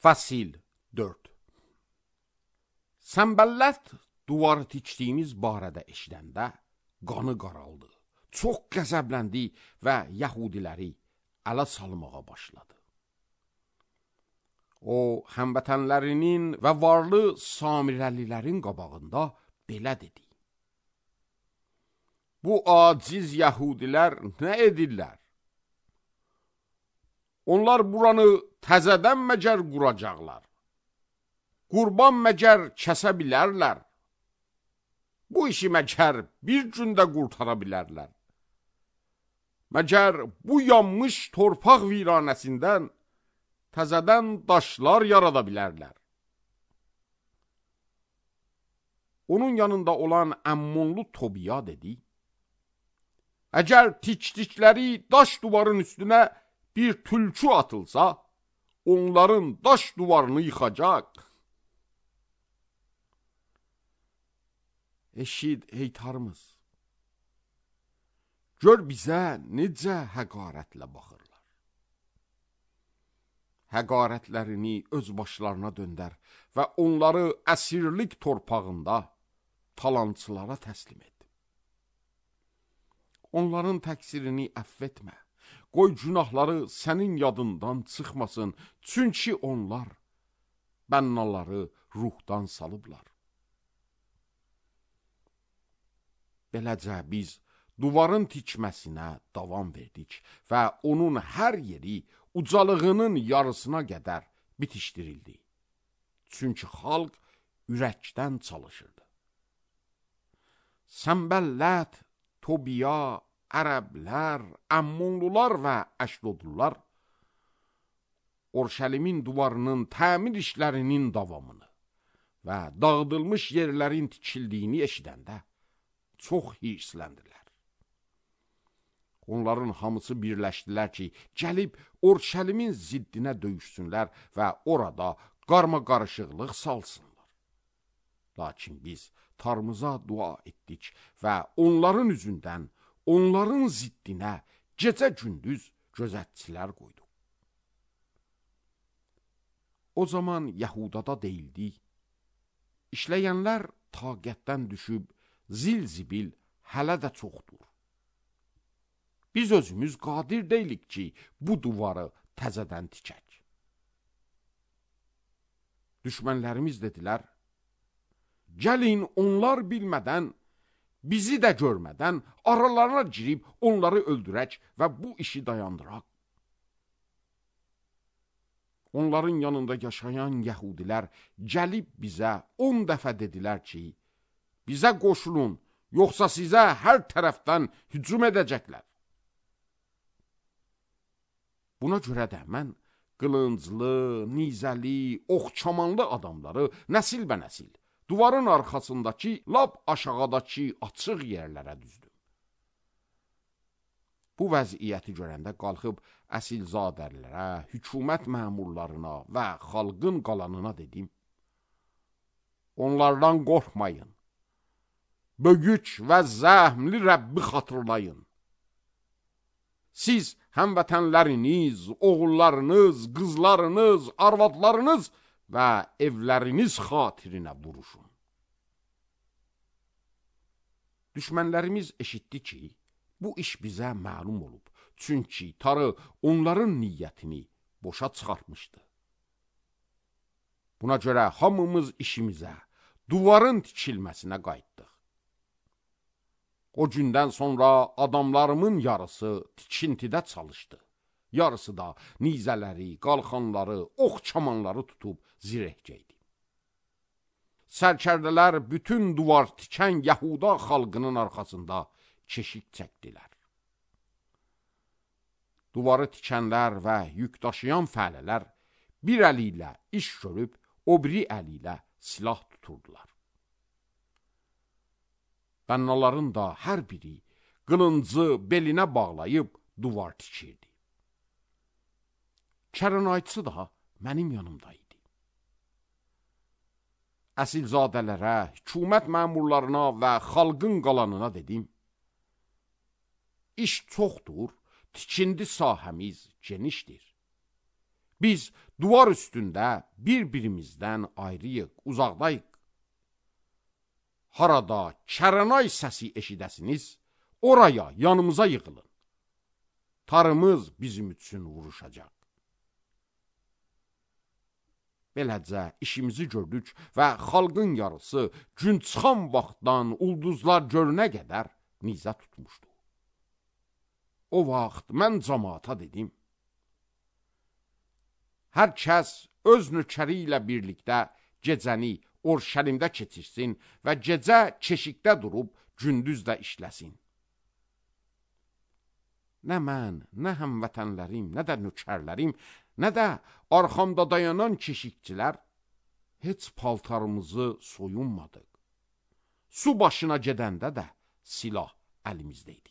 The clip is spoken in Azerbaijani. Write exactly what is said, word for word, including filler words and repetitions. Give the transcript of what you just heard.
Fəsil dörd. Səmbəllət duvarı tikdiyimiz barədə eşidəndə qanı qaraldı. Çox qəzəbləndi və yəhudiləri ələ salmağa başladı. O, həmvətənlərinin və varlı samirəlilərin qabağında belə dedi: Bu aciz yəhudilər nə edirlər? Onlar buranı təzədən məcər quracaqlar. Qurban məcər kəsə bilərlər. Bu işi məcər bir gündə qurtara bilərlər. Məcər bu yanmış torpaq viranəsindən təzədən daşlar yarada bilərlər. Onun yanında olan Əmmonlu Tobiya dedi: Əgər tikdikləri daş duvarın üstünə bir tülkü atılsa, onların daş duvarını yıxacaq. Eşid ey tarımız, gör bizə necə həqarətlə baxırlar. Həqarətlərini öz başlarına döndər və onları əsirlik torpağında talançılara təslim et. Onların təqsirini əff etmə. Qoy günahları sənin yadından çıxmasın, çünki onlar bənnaları ruhdan salıblar. Beləcə biz duvarın tikməsinə davam verdik və onun hər yeri ucalığının yarısına qədər bitişdirildi. Çünki xalq ürəkdən çalışırdı. Səmbəllət, Tobiya, Ərəblər, Əmmonlular və Əşdodlular Orşəlimin duvarının təmir işlərinin davamını və dağıdılmış yerlərin tikildiyini eşidəndə çox hirsləndilər. Onların hamısı birləşdilər ki, gəlib Orşəlimin ziddinə döyüşsünlər və orada qarma-qarışıqlıq salsınlar. Lakin biz tarımıza dua etdik və onların üzündən onların ziddinə gecə-gündüz gözətçilər qoydu. O zaman Yəhudada deyildi: İşləyənlər taqətdən düşüb, zil-zibil hələ də çoxdur. Biz özümüz qadir deyilik ki, bu duvarı təzədən tikək. Düşmənlərimiz dedilər: Gəlin onlar bilmədən, bizi də görmədən aralarına girib onları öldürək və bu işi dayandıraq. Onların yanında yaşayan yəhudilər gəlib bizə on dəfə dedilər ki, bizə qoşulun, yoxsa sizə hər tərəfdən hücum edəcəklər. Buna görə də mən qılınclı, nizəli, oxçamanlı adamları nəsilbənəsil duvarın arxasındakı, lap aşağıdakı açıq yerlərə düzdüm. Bu vəziyyəti görəndə qalxıb əsilzadələrə, hökumət məmurlarına və xalqın qalanına dedim: Onlardan qorxmayın. Böyük və zəhmli Rəbbi xatırlayın. Siz həmvətənləriniz, oğullarınız, qızlarınız, arvadlarınız və evləriniz xatirinə vuruşun. Düşmənlərimiz eşitdi ki, bu iş bizə məlum olub. Çünki tarı onların niyyətini boşa çıxartmışdı. Buna görə hamımız işimizə, duvarın tikilməsinə qayıtdıq. O gündən sonra adamlarımın yarısı tikintidə çalışdı. Yarısı da nizələri, qalxanları, oxçamanları tutub zirehcəydi. Sərkərdələr bütün duvar tikən Yahuda xalqının arxasında keşik çəkdilər. Duvarı tikənlər və yük daşıyan fəhlələr bir əli ilə iş görüb, o biri əli ilə silah tuturdular. Bənnaların da hər biri qılıncı belinə bağlayıb duvar tikirdi. Kərənayçı da mənim yanımdaydı. Əsilzadələrə, hökumət məmurlarına və xalqın qalanına dedim: İş çoxdur, tikindi sahəmiz genişdir. Biz duvar üstündə bir-birimizdən ayrıyıq, uzaqdayıq. Harada Kəranay səsi eşidəsiniz, oraya, yanımıza yığılın. Tarımız bizim üçün vuruşacaq. Beləcə işimizi gördük və xalqın yarısı gün çıxan vaxtdan ulduzlar görünə qədər nizə tutmuşdu. O vaxt mən cəmaata dedim, hər kəs öz nökəri ilə birlikdə gecəni Orşəlimdə keçirsin və gecə keşikdə durub gündüz də işləsin. Nə mən, nə həmvətənlərim, nə də nökərlərim, nə də arxamda dayanan keşikçilər heç paltarımızı soyunmadıq. Su başına gedəndə də silah əlimizdə idi.